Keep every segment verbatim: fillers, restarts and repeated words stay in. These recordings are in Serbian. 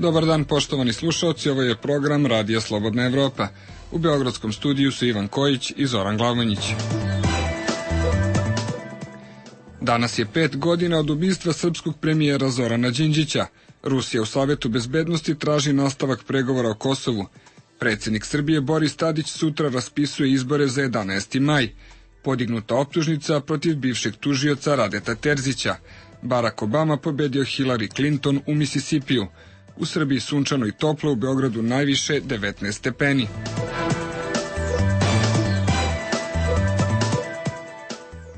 Dobar dan, poštovani slušalci, ovo je program Radija Slobodna Evropa. U beogradskom studiju su Ivan Kojić i Zoran Glavonjić. Danas je pet godina od ubistva srpskog premijera Zorana Đinđića. Rusija u Savetu bezbednosti traži nastavak pregovora o Kosovu. Predsjednik Srbije Boris Tadić sutra raspisuje izbore za jedanaesti maj. Podignuta optužnica protiv bivšeg tužioca Radeta Terzića. Barack Obama pobedio Hillary Clinton u Misisipiju. U Srbiji sunčano i toplo, u Beogradu najviše devetnaest stepeni.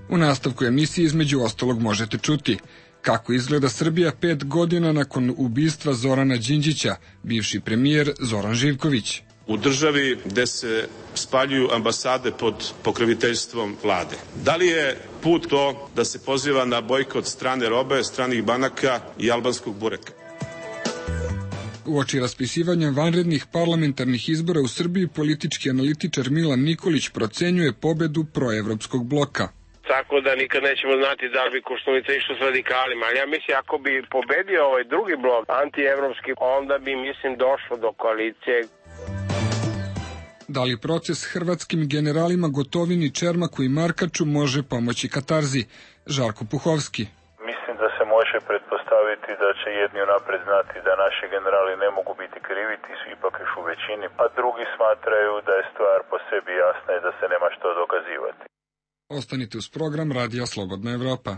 U nastavku emisije između ostalog možete čuti kako izgleda Srbija pet godina nakon ubistva Zorana Đinđića, bivši premijer Zoran Živković. U državi gde se spaljuju ambasade pod pokroviteljstvom vlade. Da li je put to da se poziva na bojkot strane robe, stranih banaka i albanskog bureka? Uoči raspisivanja vanrednih parlamentarnih izbora u Srbiji, politički analitičar Milan Nikolić procenjuje pobedu proevropskog bloka. Tako da nikad nećemo znati da li bi Koštunica išao s radikalima, ali ja mislim ako bi pobedio ovaj drugi blok, antievropski, onda bi, mislim, došlo do koalicije. Da li proces hrvatskim generalima Gotovini, Čermaku i Markaču može pomoći katarzi? Žarko Puhovski. Mislim da se može pretpostaviti da će jedni unapred znati da naši generali ne mogu biti krivi, ti su ipak još u većini, a drugi smatraju da je stvar po sebi jasna i da se nema što dokazivati. Ostanite uz program Radija Slobodna Evropa.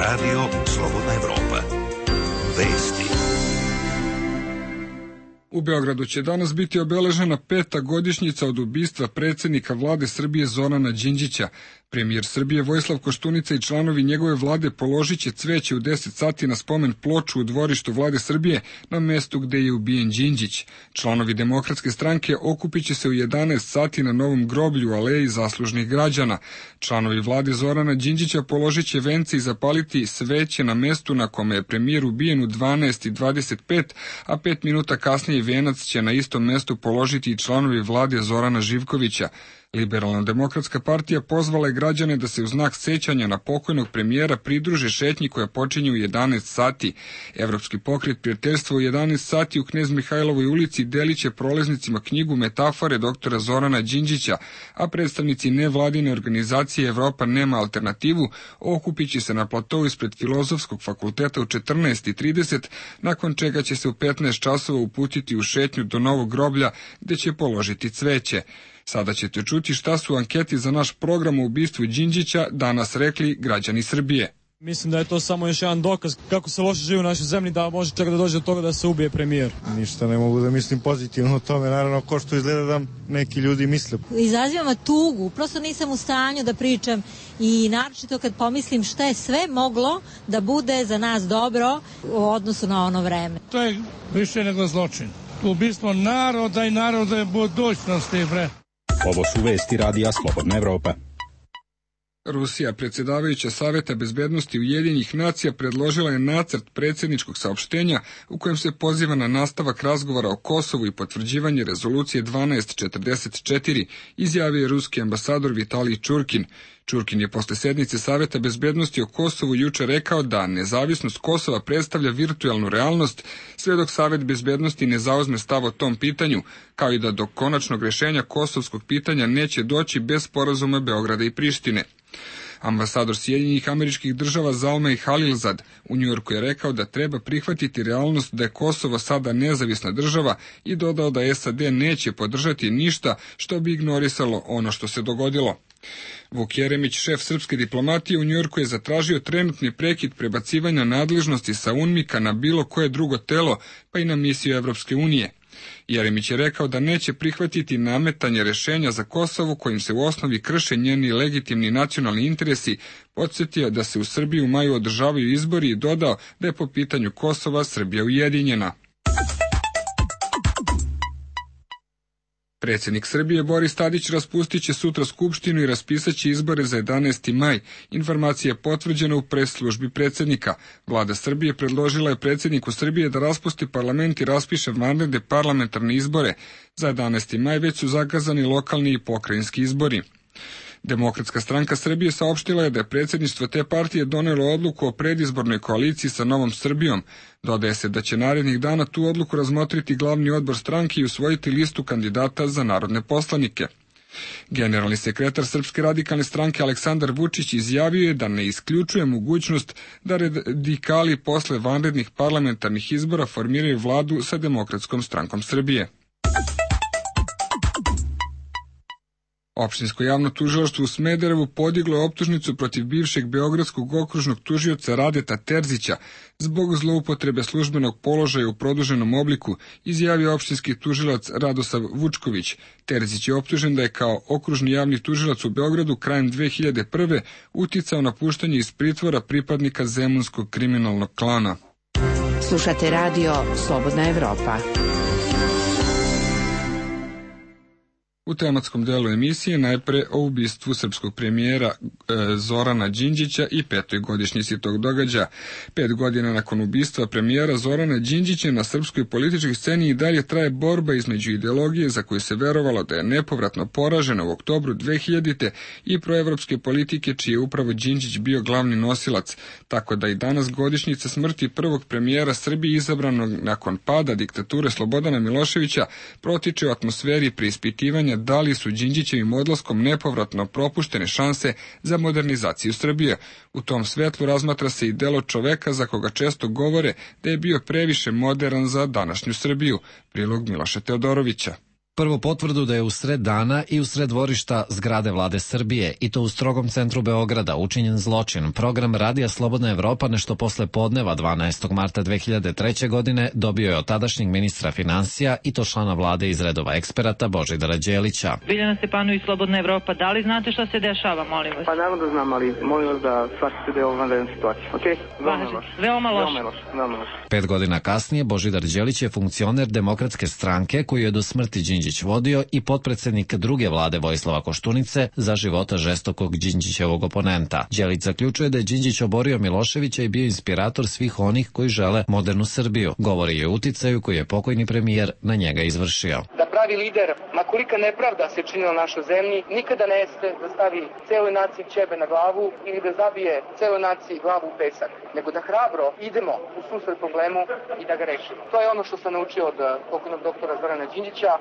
Radio Slobodna Evropa. Vesti. U Beogradu će danas biti obeležena peta godišnjica od ubistva predsjednika vlade Srbije Zorana Đinđića. Premijer Srbije Vojislav Koštunica i članovi njegove vlade položit će cveće u deset sati na spomen ploču u dvorištu vlade Srbije na mestu gde je ubijen Đinđić. Članovi Demokratske stranke okupit će se u jedanaest sati na novom groblju u aleji zaslužnih građana. Članovi vlade Zorana Đinđića položit će vence i zapaliti sveće na mestu na kome je premijer ubijen u dvanaest i dvadeset pet, a pet minuta kasnije venac će na istom mestu položiti i članovi vlade Zorana Živkovića. Liberalna demokratska partija pozvala je građane da se u znak sećanja na pokojnog premijera pridruže šetnji koja počinje u jedanaest sati. Evropski pokret prijateljstva u jedanaest sati u Knez Mihajlovoj ulici delit će prolaznicima knjigu Metafore doktora Zorana Đinđića, a predstavnici nevladine organizacije Evropa nema alternativu okupit će se na platou ispred Filozofskog fakulteta u četrnaest i trideset, nakon čega će se u petnaest časova uputiti u šetnju do novog groblja gde će položiti cveće. Sada ćete čuti šta su anketi za naš program o ubistvu Đinđića danas rekli građani Srbije. Mislim da je to samo još jedan dokaz kako se loše živi u našoj zemlji, da može čak da dođe do toga da se ubije premijer. Ništa ne mogu da mislim pozitivno o tome, naravno ko što izgleda da neki ljudi misle. Izazivam tugu, prosto nisam u stanju da pričam i naročito kad pomislim šta je sve moglo da bude za nas dobro u odnosu na ono vreme. To je više nego zločin. Ubistvo naroda i naroda je budućnosti, bre. Ovo su vesti Radija Slobodna Evropa. Rusija, predsjedavajuća Saveta bezbednosti Ujedinjenih nacija, predložila je nacrt predsjedničkog saopštenja u kojem se poziva na nastavak razgovora o Kosovu i potvrđivanje rezolucije dvanaest četrdeset četiri, izjavio je ruski ambasador Vitalij Čurkin. Čurkin je posle sednice Saveta bezbednosti o Kosovu juče rekao da nezavisnost Kosova predstavlja virtuelnu realnost sve dok Savet bezbednosti ne zauzme stav o tom pitanju, kao i da do konačnog rešenja kosovskog pitanja neće doći bez sporazuma Beograda i Prištine. Ambasador Sjedinjenih Američkih Država Zalmay Khalilzad u Njujorku je rekao da treba prihvatiti realnost da je Kosovo sada nezavisna država i dodao da S A D neće podržati ništa što bi ignorisalo ono što se dogodilo. Vuk Jeremić, šef srpske diplomatije u Njujorku, je zatražio trenutni prekid prebacivanja nadležnosti sa UNMIK-a na bilo koje drugo telo, pa i na misiju Evropske unije. Jeremić je rekao da neće prihvatiti nametanje rešenja za Kosovo kojim se u osnovi krše njeni legitimni nacionalni interesi, podsjetio da se u Srbiji u maju održavaju izbori i dodao da je po pitanju Kosova Srbija ujedinjena. Predsjednik Srbije Boris Tadić raspustit će sutra skupštinu i raspisaće izbore za jedanaesti maj. Informacija je potvrđena u pres službi predsjednika. Vlada Srbije predložila je predsjedniku Srbije da raspusti parlament i raspiše vanredne parlamentarne izbore. Za jedanaesti maj već su zakazani lokalni i pokrajinski izbori. Demokratska stranka Srbije saopštila je da je predsjedništvo te partije donelo odluku o predizbornoj koaliciji sa Novom Srbijom. Dodaje se da će narednih dana tu odluku razmotriti glavni odbor stranke i usvojiti listu kandidata za narodne poslanike. Generalni sekretar Srpske radikalne stranke Aleksandar Vučić izjavio je da ne isključuje mogućnost da radikali posle vanrednih parlamentarnih izbora formiraju vladu sa Demokratskom strankom Srbije. Opštinsko javno tužilaštvo u Smederevu podiglo je optužnicu protiv bivšeg beogradskog okružnog tužioca Radeta Terzića zbog zloupotrebe službenog položaja u produženom obliku, izjavio opštinski tužilac Radosav Vučković. Terzić je optužen da je kao okružni javni tužilac u Beogradu krajem dve hiljade prve uticao na puštanje iz pritvora pripadnika zemunskog kriminalnog klana. Slušate radio Slobodna Evropa. U tematskom delu emisije najpre o ubistvu srpskog premijera e, Zorana Đinđića i petoj godišnjici tog događaja. Pet godina nakon ubistva premijera Zorana Đinđića na srpskoj političkoj sceni i dalje traje borba između ideologije za koju se verovalo da je nepovratno poražena u oktobru dve hiljadite i proevropske politike čiji je upravo Đinđić bio glavni nosilac, tako da i danas godišnjica smrti prvog premijera Srbije izabranog nakon pada diktature Slobodana Miloševića protiče u atmosferi preispitivanja da li su Đinđićevim odlaskom nepovratno propuštene šanse za modernizaciju Srbije. U tom svetlu razmatra se i delo čoveka za koga često govore da je bio previše modern za današnju Srbiju. Prilog Miloša Teodorovića. Prvo potvrdu da je u sred dana i u sred dvorišta zgrade vlade Srbije, i to u strogom centru Beograda, učinjen zločin. Program Radija Slobodna Evropa nešto posle podneva dvanaestog marta dve hiljade treće. godine dobio je od tadašnjeg ministra finansija i to člana vlade iz redova eksperata Božidara Đelića. Biljana Stepanović, Slobodna Evropa, da li znate šta se dešava, molim vas? Pa naravno da znam, ali molim vas da shvatite da je ovo vanredna situacija. Okay? Veoma loš. Veoma loš. Veoma loš. Veoma loš. Pet godina kasnije Božidar Đelić je funkcioner Demokratske stranke koju je do smrti Đinđić vodio i potpredsednik druge vlade Vojislava Koštunice za života žestokog Đinđićevog oponenta. Đelić zaključuje da je Đinđić oborio Miloševića i bio inspirator svih onih koji žele modernu Srbiju. Govori je o uticaju koji je pokojni premijer na njega izvršio. Da pravi lider, ma kolika nepravda se činila našoj zemlji, nikada ne jeste da stavi celoj naciji ćebe na glavu ili da zabije celoj naciji glavu u pesak, nego da hrabro idemo u susret problemu i da ga rešimo. To je ono što sam naučio od pokojnog doktora Zorana Đinđića.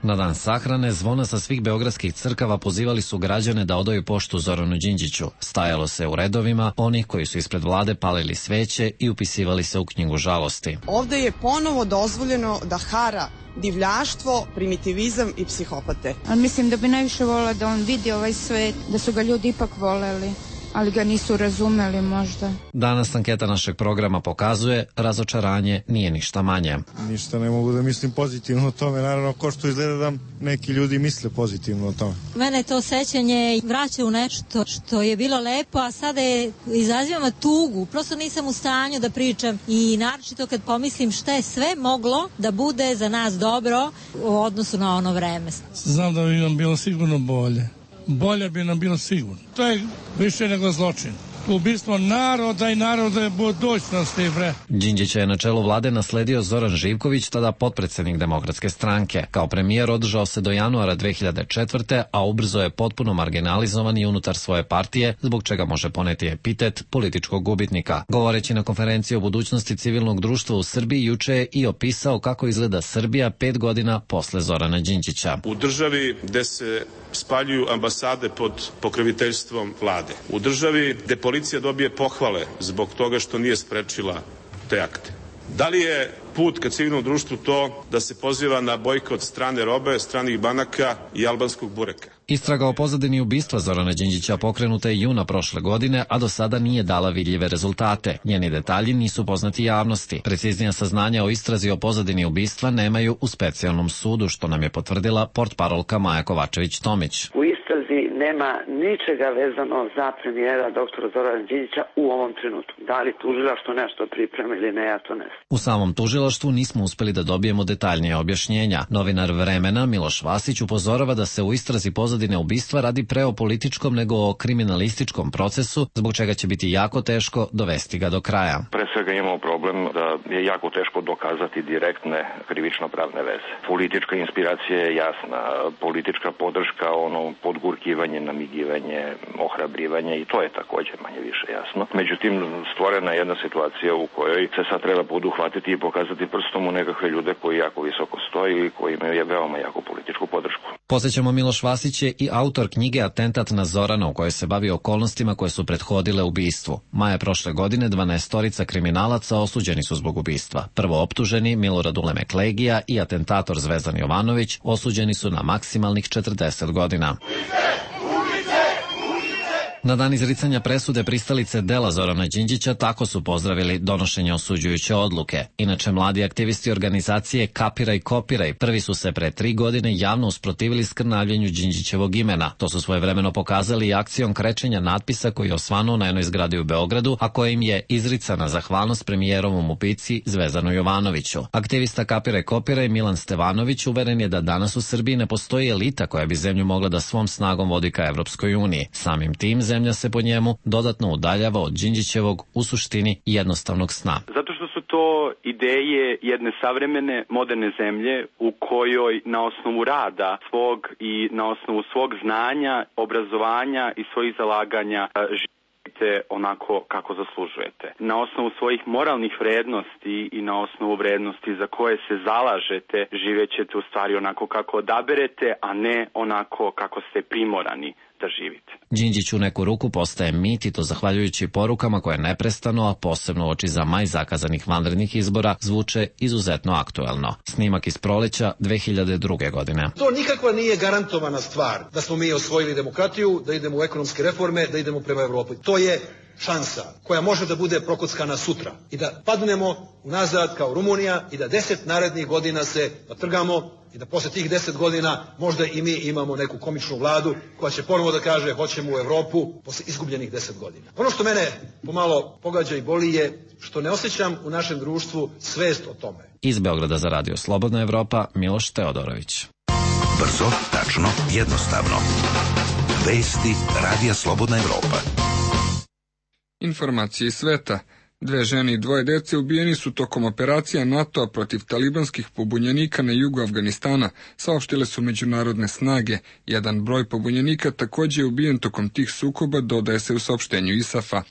Na dan sahrane zvona sa svih beogradskih crkava pozivali su građane da odaju poštu Zoranu Đinđiću. Stajalo se u redovima onih koji su ispred vlade palili sveće i upisivali se u knjigu žalosti. Ovde je ponovo dozvoljeno da hara divljaštvo, primitivizam i psihopate. Ali mislim da bi najviše volila da on vidi ovaj svet, da su ga ljudi ipak voleli, ali ga nisu razumeli možda. Danas anketa našeg programa pokazuje razočaranje nije ništa manje. Ništa ne mogu da mislim pozitivno o tome, naravno ko što izgleda da neki ljudi misle pozitivno o tome. Mene to sećanje vraća u nešto što je bilo lepo, a sada je izaziva tugu. Prosto nisam u stanju da pričam i naročito kad pomislim šta je sve moglo da bude za nas dobro u odnosu na ono vreme. Znam da bi nam bilo sigurno bolje. Bolje bi nam bilo sigurno. To je više nego zločin. Ubistvo naroda i naroda je budućnosti, bre. Đinđića je na čelu vlade nasledio Zoran Živković, tada potpredsednik Demokratske stranke. Kao premijer održao se do januara dve hiljade četvrte. a ubrzo je potpuno marginalizovan i unutar svoje partije, zbog čega može poneti epitet političkog gubitnika. Govoreći na konferenciji o budućnosti civilnog društva u Srbiji, juče je i opisao kako izgleda Srbija pet godina posle Zorana Đinđića. U državi gde se spaljuju ambasade pod pokroviteljstvom vlade. U državi gde policija dobije pohvale zbog toga što nije sprečila te akte. Da li je put ka civilnom društvu to da se poziva na bojkot strane robe, stranih banaka i albanskog bureka? Istraga o pozadini ubistva Zorana Đinđića pokrenuta je juna prošle godine, a do sada nije dala vidljive rezultate. Njeni detalji nisu poznati javnosti. Preciznija saznanja o istrazi o pozadini ubistva nemaju u specijalnom sudu, što nam je potvrdila portparolka Maja Kovačević-Tomić. U istrazi nema ničega vezano za premijera doktora Zorana Đinđića u ovom trenutku. Da li tužilaštvo nešto priprema ili ne, ja to ne znam. U samom tužilaštvu nismo uspeli da dobijemo detaljnije objašnjenja. Novinar Vremena Miloš Vasić upozorava da se u istrazi pozadine ubistva radi pre o političkom nego o kriminalističkom procesu, zbog čega će biti jako teško dovesti ga do kraja. Pre svega svega imamo problem da je jako teško dokazati direktne krivično-pravne veze. Politička inspiracija je jasna, politička podrška, ono podgurkivanje, namigivanje, ohrabrivanje i to je također manje više jasno. Međutim, stvorena je jedna situacija u kojoj se sad treba poduhvatiti i pokazati prstom u nekakve ljude koji jako visoko stoji i koji imaju veoma jaku političku podršku. Posjećamo, Miloš Vasić je i autor knjige Atentat na Zorana, u kojoj se bavi okolnostima koje su prethodile ubistvu. Maja prošle godine dvanaestorica kriminalaca osuđeni su zbog ubistva. Prvo optuženi Milorad Ulemek Legija i atentator Zvezdan Jovanović osuđeni su na maksimalnih četrdeset godina. Na dan izricanja presude pristalice dela Zorana Đinđića tako su pozdravili donošenje osuđujuće odluke. Inače, mladi aktivisti organizacije Kapiraj Kopiraj prvi su se pre tri godine javno usprotivili skrnavljenju Đinđićevog imena. To su svojevremeno pokazali i akcijom krečenja natpisa koji je osvanuo na jednoj zgradi u Beogradu, a kojim je izricana zahvalnost premijerovom ubici Zvezdanu Jovanoviću. Aktivista Kapiraj Kopiraj Milan Stevanović uveren je da danas u Srbiji ne postoji elita koja bi zemlju mogla da svom snagom vodi ka Evropskoj uniji. Samim tim zemlja se po njemu dodatno udaljava od Đinđićevog u suštini jednostavnog sna. Zato što su to ideje jedne savremene, moderne zemlje u kojoj na osnovu rada svog i na osnovu svog znanja, obrazovanja i svojih zalaganja živite onako kako zaslužujete. Na osnovu svojih moralnih vrednosti i na osnovu vrednosti za koje se zalažete živjet ćete u stvari onako kako odaberete, a ne onako kako ste primorani da živite. Đinđić u neku ruku postaje mit i to zahvaljujući porukama koje neprestano, a posebno uoči za maj zakazanih vanrednih izbora, zvuče izuzetno aktuelno. Snimak iz proleća dve hiljade druge. godine. To nikakva nije garantovana stvar da smo mi osvojili demokratiju, da idemo u ekonomske reforme, da idemo prema Evropi. To je šansa koja može da bude prokockana sutra i da padnemo nazad kao Rumunija i da deset narednih godina se natrgamo i da posle tih deset godina možda i mi imamo neku komičnu vladu koja će ponovo da kaže hoćemo u Evropu posle izgubljenih deset godina. Ono što mene pomalo pogađa i boli je što ne osjećam u našem društvu svest o tome. Iz Beograda za Radio Slobodna Evropa, Miloš Teodorović. Brzo, tačno, jednostavno. Vesti Radija Slobodna Evropa. Informacije iz sveta. Dve žene i dvoje dece ubijeni su tokom operacija NATO-a protiv talibanskih pobunjenika na jugu Afganistana, saopštile su međunarodne snage. Jedan broj pobunjenika također je ubijen tokom tih sukoba, dodaje se u saopštenju ISAF-a.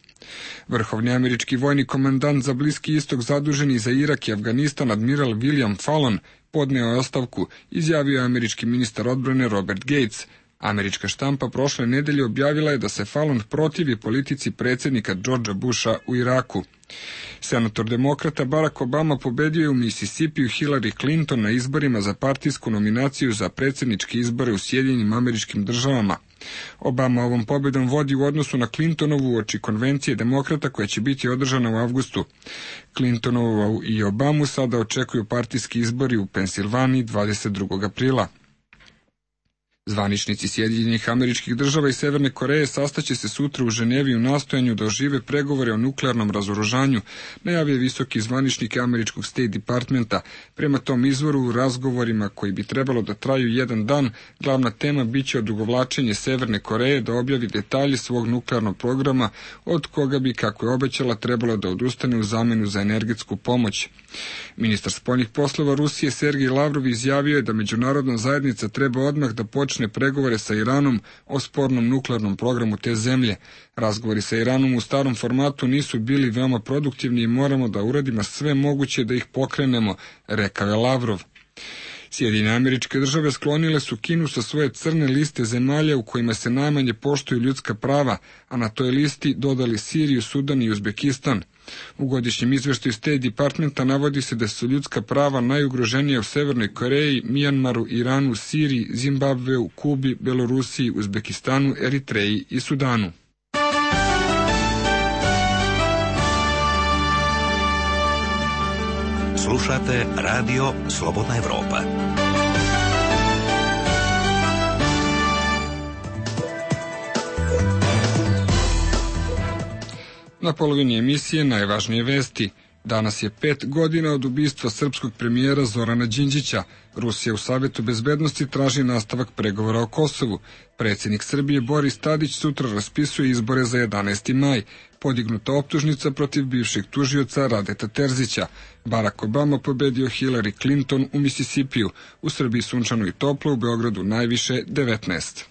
Vrhovni američki vojni komandant za Bliski istok zaduženi za Irak i Afganistan, admiral William Fallon, podneo je ostavku, izjavio je američki ministar odbrane Robert Gates. Američka štampa prošle nedelje objavila je da se Fallon protivi politici predsjednika Georgea Busha u Iraku. Senator demokrata Barack Obama pobedio je u Mississipiju Hillary Clinton na izborima za partijsku nominaciju za predsjedničke izbore u Sjedinjenim Američkim Državama. Obama ovom pobedom vodi u odnosu na Clintonovu uoči konvencije demokrata koja će biti održana u avgustu. Clintonovu i Obamu sada očekuju partijski izbori u Pensilvaniji dvadeset drugog aprila. Zvaničnici Sjedinjenih Američkih Država i Severne Koreje sastaće se sutra u Ženevi u nastojanju da ožive pregovore o nuklearnom razoružanju, najavio visoki zvaničnik američkog State Departmenta. Prema tom izvoru, u razgovorima koji bi trebalo da traju jedan dan, glavna tema biće odugovlačenje Severne Koreje da objavi detalje svog nuklearnog programa, od koga bi, kako je obećala, trebalo da odustane u zamenu za energetsku pomoć. Ministar spoljnih poslova Rusije Sergej Lavrov izjavio je da međunarodna zajednica treba odmah da počne pregovore sa Iranom o spornom nuklearnom programu te zemlje. Razgovori sa Iranom u starom formatu nisu bili veoma produktivni i moramo da uradimo sve moguće da ih pokrenemo, rekao je Lavrov. Sjedinjene Američke Države sklonile su Kinu sa svoje crne liste zemalja u kojima se najmanje poštuju ljudska prava, a na toj listi dodali Siriju, Sudan i Uzbekistan. U godišnjem izveštaju State Departmenta navodi se da su ljudska prava najugroženija u Severnoj Koreji, Mijanmaru, Iranu, Siriji, Zimbabveu, Kubi, Belorusiji, Uzbekistanu, Eritreji i Sudanu. Slušate Radio Slobodna Evropa. Na polovini emisije najvažnije vesti. Danas je pet godina od ubistva srpskog premijera Zorana Đinđića. Rusija u Savjetu bezbednosti traži nastavak pregovora o Kosovu. Predsjednik Srbije Boris Tadić sutra raspisuje izbore za jedanaesti maj. podignuta optužnica protiv bivšeg tužioca Radeta Terzića. Barack Obama pobedio Hillary Clinton u Misisipiju, u Srbiji sunčano i toplo, u Beogradu najviše devetnaest.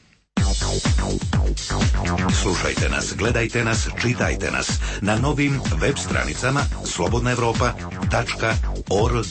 Slušajte nas, gledajte nas, čitajte nas na novim web stranicama slobodna evropa tačka org.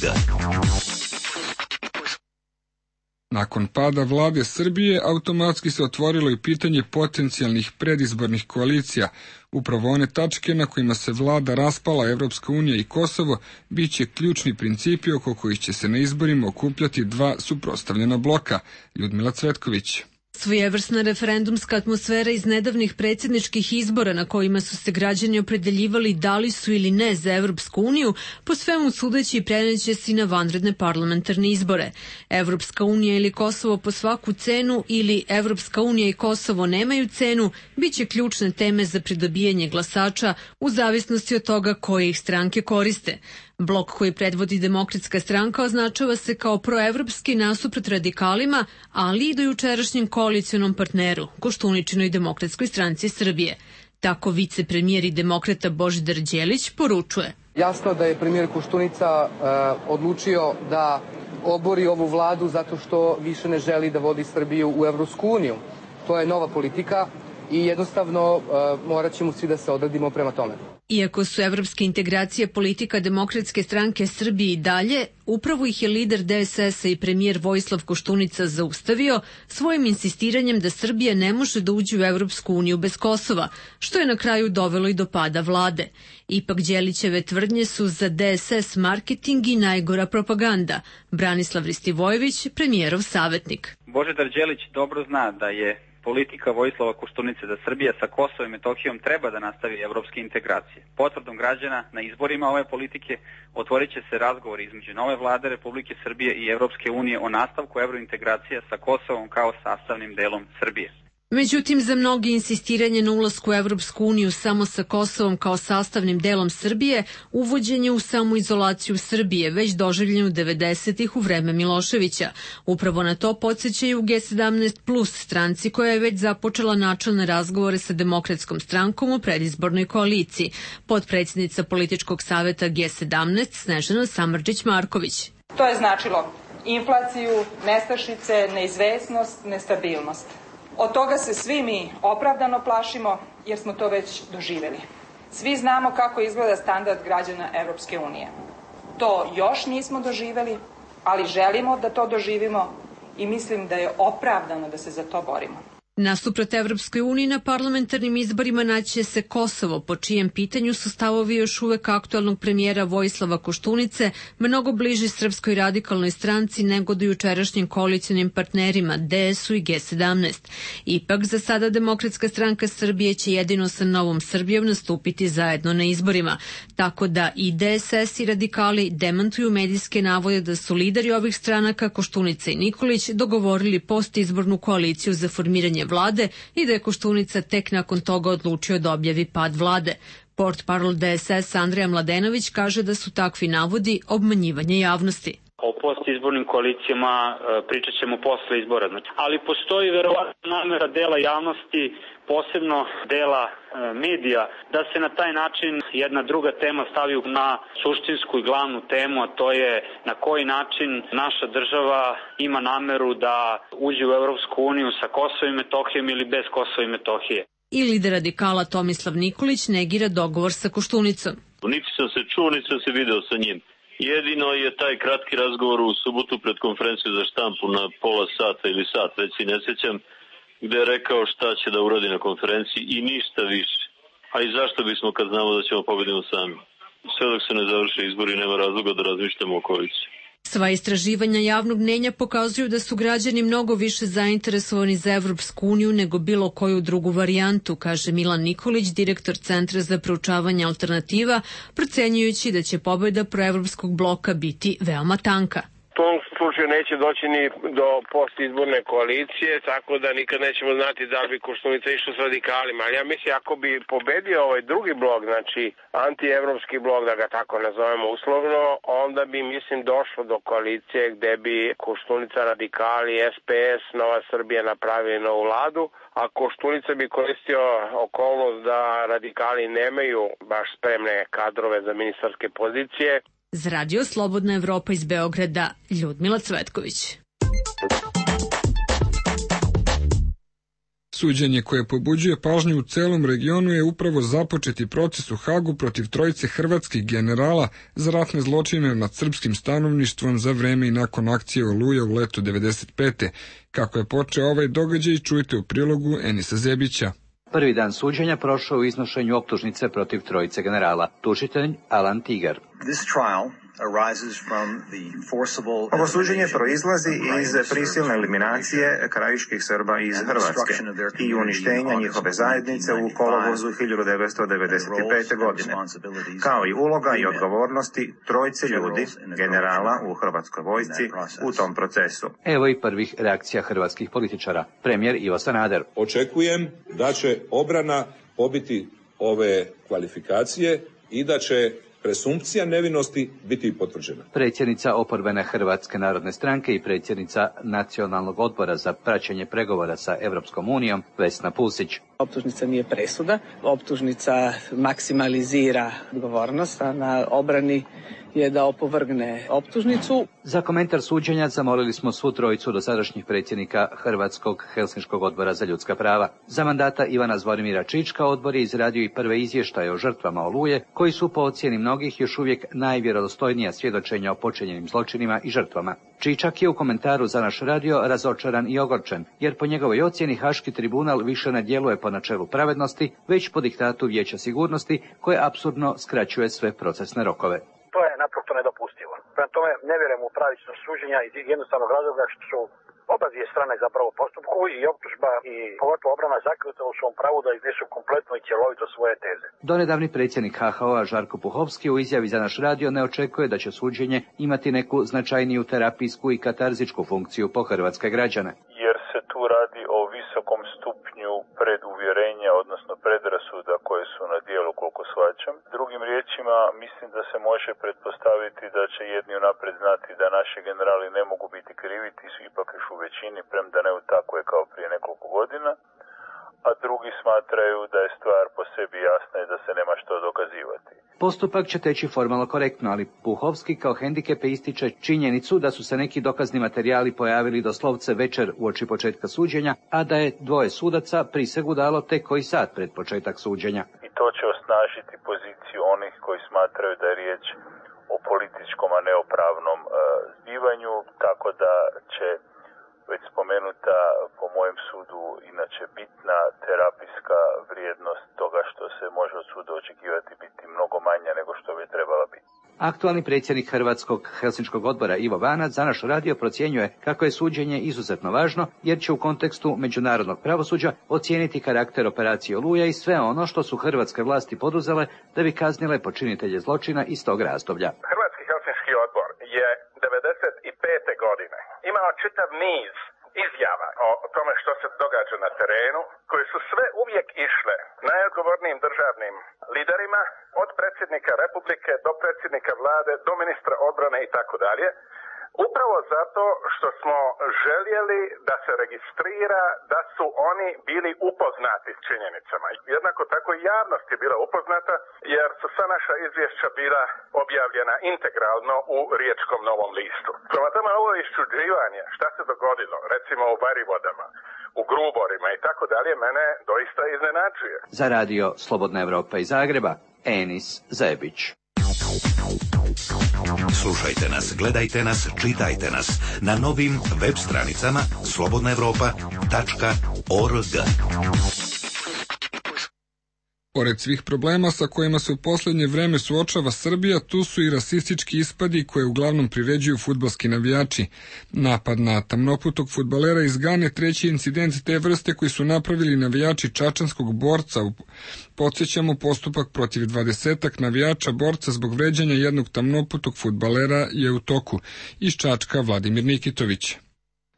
Nakon pada vlade Srbije, automatski se otvorilo i pitanje potencijalnih predizbornih koalicija. Upravo one tačke na kojima se vlada raspala Evropska unija i Kosovo biće ključni principi oko kojih će se na izborima okupljati dva suprotstavljena bloka. Ljudmila Cvetković. Svojevrsna referendumska atmosfera iz nedavnih predsjedničkih izbora na kojima su se građani opredeljivali da li su ili ne za Evropsku uniju, po svemu sudeći preneće se na vanredne parlamentarne izbore. Evropska unija ili Kosovo po svaku cenu ili Evropska unija i Kosovo nemaju cenu, bit će ključne teme za pridobijanje glasača u zavisnosti od toga koje ih stranke koriste. Blok koji predvodi Demokratska stranka označava se kao proevropski nasuprot radikalima, ali i do jučerašnjem koalicionom partneru, Koštuničinoj Demokratskoj stranci Srbije. Tako vicepremijer i demokrata Božidar Đelić poručuje. Jasno da je premijer Koštunica uh, odlučio da obori ovu vladu zato što više ne želi da vodi Srbiju u Evropsku uniju. To je nova politika i jednostavno uh, morat ćemo svi da se odredimo prema tome. Iako su evropske integracije politika Demokratske stranke Srbije i dalje, upravo ih je lider D S S-a i premijer Vojislav Koštunica zaustavio svojim insistiranjem da Srbija ne može da uđe u Evropsku uniju bez Kosova, što je na kraju dovelo i do pada vlade. Ipak Đelićeve tvrdnje su za D S S marketing i najgora propaganda. Branislav Ristivojević, premijerov savjetnik. Božidar Đelić dobro zna da je politika Vojislava Koštunice da Srbija sa Kosovom i Metohijom treba da nastavi evropske integracije. Potvrdom građana na izborima ove politike otvorit će se razgovor između nove vlade Republike Srbije i Evropske unije o nastavku evrointegracija sa Kosovom kao sastavnim delom Srbije. Međutim, za mnogi insistiranje na ulasku u Evropsku uniju samo sa Kosovom kao sastavnim delom Srbije, uvođenje u samoizolaciju Srbije, već doživljeno devedesetih u vreme Miloševića. Upravo na to podsjećaju G sedamnaest plus stranci koja je već započela načelne razgovore sa Demokratskom strankom u predizbornoj koaliciji. Potpredsjednica političkog saveta G sedamnaest Snežana Samardžić-Marković. To je značilo inflaciju, nestašice, neizvesnost, nestabilnost. Od toga se svi mi opravdano plašimo jer smo to već doživjeli. Svi znamo kako izgleda standard građana Evropske unije. To još nismo doživjeli, ali želimo da to doživimo i mislim da je opravdano da se za to borimo. Nasuprot Evropskoj uniji na parlamentarnim izborima naće se Kosovo, po čijem pitanju su stavovi još uvek aktualnog premijera Vojislava Koštunice mnogo bliži Srpskoj radikalnoj stranci nego do jučerašnjim koalicionim partnerima D S U i G sedamnaest. Ipak, za sada Demokratska stranka Srbije će jedino sa Novom Srbijom nastupiti zajedno na izborima, tako da i D S S i radikali demantuju medijske navode da su lideri ovih stranaka, Koštunica i Nikolić, dogovorili postizbornu koaliciju za formiranje vlade i da je Koštunica tek nakon toga odlučio da objavi pad vlade. Portparol D S S Andrija Mladenović kaže da su takvi navodi obmanjivanje javnosti. O postizbornim koalicijama pričat ćemo posle izbora. Ali postoji verovatno namera dela javnosti, posebno dela medija, da se na taj način jedna druga tema stavi na suštinsku i glavnu temu, a to je na koji način naša država ima nameru da uđe u Evropsku uniju sa Kosovom i Metohijom ili bez Kosova i Metohije. I lider radikala Tomislav Nikolić negira dogovor sa Koštunicom. Niti sam se čuo, niti sam se video sa njim. Jedino je taj kratki razgovor u subotu pred konferenciju za štampu na pola sata ili sat, već si ne sjećam, gde je rekao šta će da uradi na konferenciji i ništa više. A i zašto bismo kad znamo da ćemo pobediti sami? Sve dok se ne završe izbori nema razloga da razmišljamo o koaliciji. Sva istraživanja javnog mnjenja pokazuju da su građani mnogo više zainteresovani za Evropsku uniju nego bilo koju drugu varijantu, kaže Milan Nikolić, direktor Centra za proučavanje alternativa, procenjujući da će pobeda proevropskog bloka biti veoma tanka. tom slučaju neće doći ni do postizborne koalicije, tako da nikad nećemo znati da li bi Koštunica išao s radikalima. Ali ja mislim, ako bi pobedio ovaj drugi blok, znači antievropski blok, da ga tako nazovemo uslovno, onda bi, mislim, došlo do koalicije gde bi Koštunica, radikali, S P S, Nova Srbija napravili novu vladu, a Koštunica bi koristio okolnost da radikali nemaju baš spremne kadrove za ministarske pozicije. Za Radio Slobodna Evropa iz Beograda, Ljudmila Cvetković. Suđenje koje pobuđuje pažnju u celom regionu je upravo započeti proces u Hagu protiv trojice hrvatskih generala za ratne zločine nad srpskim stanovništvom za vreme i nakon akcije Oluja u letu devedeset pete. Kako je počeo ovaj događaj, čujte u prilogu Enisa Zebića. Prvi dan suđenja prošao u iznošenju optužnice protiv trojice generala. Tužitelj Alan Tigar. Ovo suđenje proizlazi iz prisilne eliminacije krajiških Srba iz Hrvatske i uništenja njihove zajednice u kolovozu hiljadu devetsto devedeset pete. godine, kao i uloga i odgovornosti trojice ljudi, generala u hrvatskoj vojsci u tom procesu. Evo i prvih reakcija hrvatskih političara. Premijer Ivo Sanader. Očekujem da će obrana pobiti ove kvalifikacije i da će presumpcija nevinosti biti potvrđena. Predsjednica oporbene Hrvatske narodne stranke i predsjednica Nacionalnog odbora za praćenje pregovora sa Evropskom unijom, Vesna Pusić. Optužnica nije presuda, optužnica maksimalizira odgovornost, a na obrani je da opovrgne optužnicu. Za komentar suđenja zamolili smo svu trojicu dosadašnjih predsjednika Hrvatskog Helsinškog odbora za ljudska prava. Za mandata Ivana Zvorimira Čička odbor je izradio i prve izvještaje o žrtvama Oluje, koji su po ocjeni mnogih još uvijek najvjerodostojnija svjedočenja o počinjenim zločinima i žrtvama. Čičak je u komentaru za naš radio razočaran i ogorčen, jer po njegovoj ocjeni Haški tribunal više ne djeluje po načelu pravednosti, već po diktatu Vijeća sigurnosti, koje apsurdno skraćuje sve procesne rokove. To je naprosto nedopustivo. Prema tome ne vjerujem u pravičnost suđenja iz jednostavnog razloga što su oba dvije strane zapravo postupku i optužba i pogotovo obrana zaključila u svom pravu da iznesu kompletno i cjelovito svoje teze. Donedavni predsjednik H H O-a Žarko Puhovski u izjavi za naš radio ne očekuje da će suđenje imati neku značajniju terapijsku i katarzičku funkciju po hrvatske građane. Jer se tu radi o visokom stupnju preduvjerenja, odnosno predrasuda koje su na dijelu, koliko shvaćam. Drugim riječima, mislim da se može pretpostaviti da će jedni unaprijed znati da naši generali ne mogu biti krivi, ti su ipak još u većini, premda ne u takve kao prije nekoliko godina, a drugi smatraju da je stvar po sebi jasna i da se nema što dokazivati. Postupak će teći formalno korektno, ali Puhovski kao hendikepe ističe činjenicu da su se neki dokazni materijali pojavili doslovce večer uoči početka suđenja, a da je dvoje sudaca prisegu dalo tek koji sat pred početak suđenja. I to će osnažiti poziciju onih koji smatraju da je riječ o političkom, a ne o pravnom e, zbivanju, tako da će već spomenuta, po mojem sudu, inače bitna terapijska vrijednost toga što se može od suda očekivati biti mnogo manja nego što bi trebala biti. Aktualni predsjednik Hrvatskog Helsinškog odbora Ivo Vanac za naš radio procjenjuje kako je suđenje izuzetno važno, jer će u kontekstu međunarodnog pravosuđa ocijeniti karakter operacije Oluja i sve ono što su hrvatske vlasti poduzele da bi kaznile počinitelje zločina iz tog razdoblja. Hrvatski Helsinški odbor je devedeset pete. godine imao čitav niz izjava o tome što se događa na terenu, koje su sve uvijek išle najodgovornijim državnim liderima, od predsjednika Republike do predsjednika vlade, do ministra odbrane i tako dalje. Upravo zato što smo željeli da se registrira da su oni bili upoznati s činjenicama. Jednako tako i javnost je bila upoznata, jer su sva naša izvješća bila objavljena integralno u Riječkom Novom listu. Prema tome, ovo iščuđivanje, šta se dogodilo, recimo u Varivodama, u Gruborima i tako dalje, mene doista iznenađuje. Za radio Slobodna Evropa iz Zagreba, Enis Zebić. Slušajte nas, gledajte nas, čitajte nas na novim web stranicama slobodna evropa tačka org. Pored svih problema sa kojima se u posljednje vreme suočava Srbija, tu su i rasistički ispadi koje uglavnom priređuju fudbalski navijači. Napad na tamnoputog fudbalera iz Gane, treći incident te vrste koji su napravili navijači čačanskog Borca. Podsjećamo, postupak protiv dvadesetak navijača Borca zbog vređanja jednog tamnoputog fudbalera je u toku. Iz Čačka Vladimir Nikitović.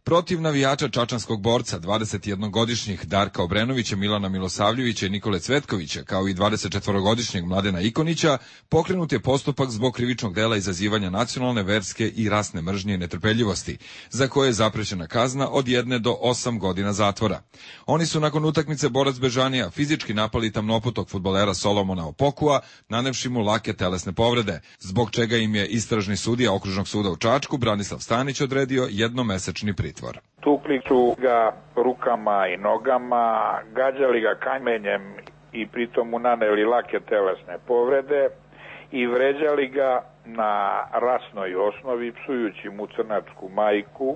Protiv navijača čačanskog Borca, dvadesetjednogodišnjih Darka Obrenovića, Milana Milosavljevića i Nikole Cvetkovića, kao i dvadesetčetvorogodišnjeg Mladena Ikonića, pokrenut je postupak zbog krivičnog dela izazivanja nacionalne, verske i rasne mržnje i netrpeljivosti, za koje je zaprećena kazna od jedne do osam godina zatvora. Oni su nakon utakmice Borac Bežanija fizički napali tamnoputog fudbalera Solomona Opokua, nanevši mu lake telesne povrede, zbog čega im je istražni sudija Okružnog suda u Čačku, Branislav Stanić, odredio jednomesečni pritvor. Tukli su ga rukama i nogama, gađali ga kamenjem i pritom mu naneli lake telesne povrede i vređali ga na rasnoj osnovi, psujući mu crnačku majku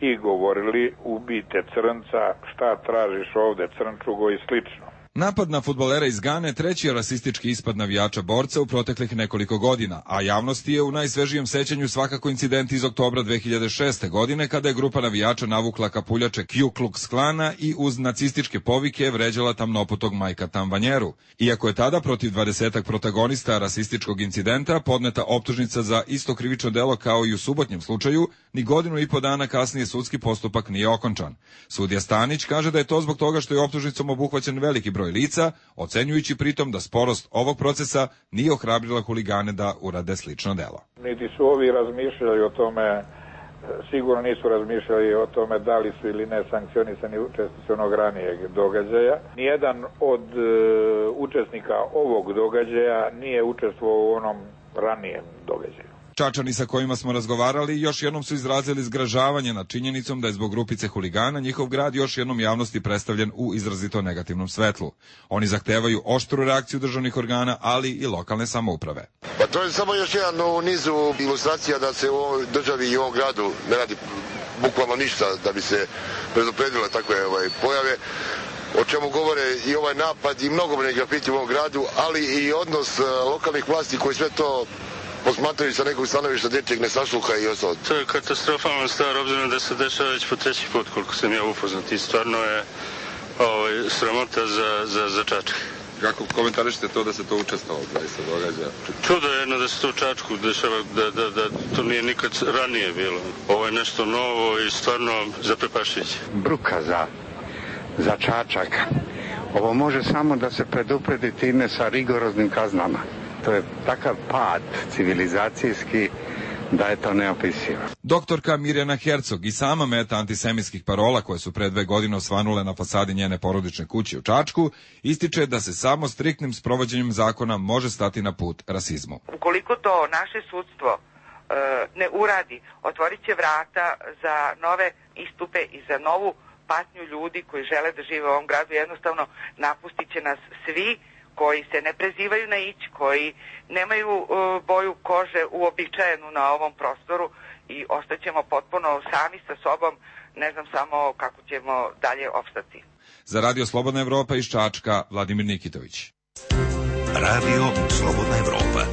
i govorili: ubijte crnca, šta tražiš ovde crnčugo i slično. Napad na fudbalera iz Gane treći je rasistički ispad navijača Borca u proteklih nekoliko godina, a javnosti je u najsvežijem sećanju svakako incident iz oktobra dve hiljade šeste. godine, kada je grupa navijača navukla kapuljače Ku Klux Klana i uz nacističke povike vređala tamnoputog Majka Tambanjeru. Iako je tada protiv dvadesetak protagonista rasističkog incidenta podneta optužnica za isto krivično delo kao i u subotnjem slučaju, ni godinu i po dana kasnije sudski postupak nije okončan. Sudija Stanić kaže da je to zbog toga što je optužnicom obuhvaćen veliki broj lica, ocenjujući pritom da sporost ovog procesa nije ohrabrila huligane da urade slično delo. Niti su ovi razmišljali o tome, sigurno nisu razmišljali o tome da li su ili ne sankcionisani učesnici onog ranijeg događaja. Nijedan od e, učesnika ovog događaja nije učestvovao u onom ranijem događaju. Čačani sa kojima smo razgovarali još jednom su izrazili zgražavanje nad činjenicom da je zbog grupice huligana njihov grad još jednom javnosti predstavljen u izrazito negativnom svetlu. Oni zahtevaju oštru reakciju državnih organa, ali i lokalne samouprave. Pa to je samo još jedan u nizu ilustracija da se u ovoj državi i u ovom gradu ne radi bukvalno ništa da bi se predupredile takve ovaj, pojave, o čemu govore i ovaj napad i mnogobrojni grafiti u ovom gradu, ali i odnos uh, lokalnih vlasti koji sve to posmatraju sa nekog stanovišta dečjeg nesasluha i ostalo. To je katastrofalna stvar, obzirom da se dešava već po treći put, koliko sam ja upoznat, i stvarno je ovaj, sramota za, za, za Čačak. Kako komentarišete to da se to učestvovalo, da se događa? Čudo je jedno da se to u Čačku dešava, da, da, da to nije nikad ranije bilo. Ovo je nešto novo i stvarno zaprepašujuće. Bruka za, za Čačak. Ovo može samo da se predupredi time sa rigoroznim kaznama. To je takav pad civilizacijski da je to neopisivo. Doktorka Mirjana Hercog i sama meta antisemitskih parola koje su pre dve godine osvanule na fasadi njene porodične kuće u Čačku, ističe da se samo striktnim sprovođenjem zakona može stati na put rasizmu. Ukoliko to naše sudstvo e, ne uradi, otvorit će vrata za nove istupe i za novu patnju ljudi koji žele da žive u ovom gradu. Jednostavno napustit će nas svi koji se ne prezivaju na ić, koji nemaju uh, boju kože uobičajenu na ovom prostoru i ostaćemo potpuno sami sa sobom, ne znam samo kako ćemo dalje opstati. Za Radio Slobodna Evropa iz Čačka, Vladimir Nikitović. Radio Slobodna Evropa.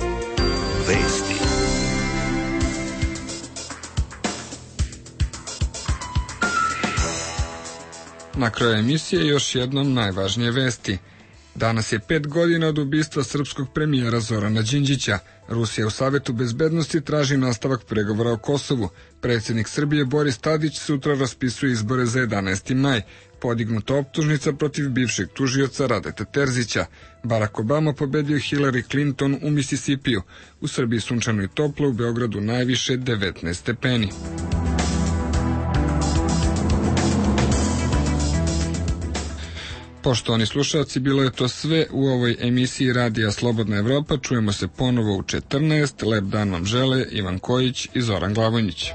Vesti. Na kraju emisije još jednom najvažnije vesti. Danas je pet godina od ubistva srpskog premijera Zorana Đinđića. Rusija u Savetu bezbednosti traži nastavak pregovora o Kosovu. Predsjednik Srbije Boris Tadić sutra raspisuje izbore za jedanaesti maj. Podignuta optužnica protiv bivšeg tužioca Radeta Terzića. Barack Obama pobedio Hillary Clinton u Misisipiju. U Srbiji sunčano i toplo, u Beogradu najviše devetnaest stepeni. Poštovani slušalci, bilo je to sve u ovoj emisiji Radija Slobodna Evropa. Čujemo se ponovo u četrnaest. Lep dan vam žele Ivan Kojić i Zoran Glavonjić.